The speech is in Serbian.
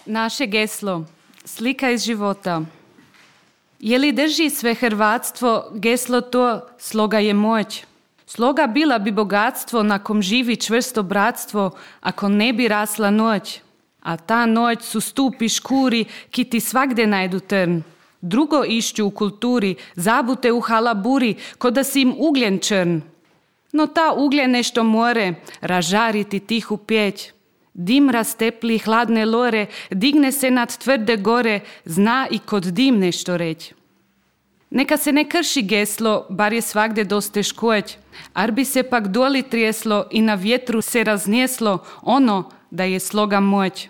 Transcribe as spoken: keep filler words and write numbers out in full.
Naše geslo, slika iz života. Je li drži sve hrvatstvo, geslo to, sloga je moć. Sloga bila bi bogatstvo na kom živi čvrsto bratstvo, ako ne bi rasla noć. A ta noć su stupi škuri, ki ti svagde najdu trn. Drugo išću u kulturi, zabute u halaburi, ko da si im ugljen črn. No ta ugljen nešto more, ražariti tihu pjeć. Dim rastepli hladne lore, digne se nad tvrde gore, zna i kod dim nešto reć. Neka se ne krši geslo, bar je svagde dosta škoć, ar bi se pak doli trijeslo i na vjetru se raznjeslo ono da je sloga moć.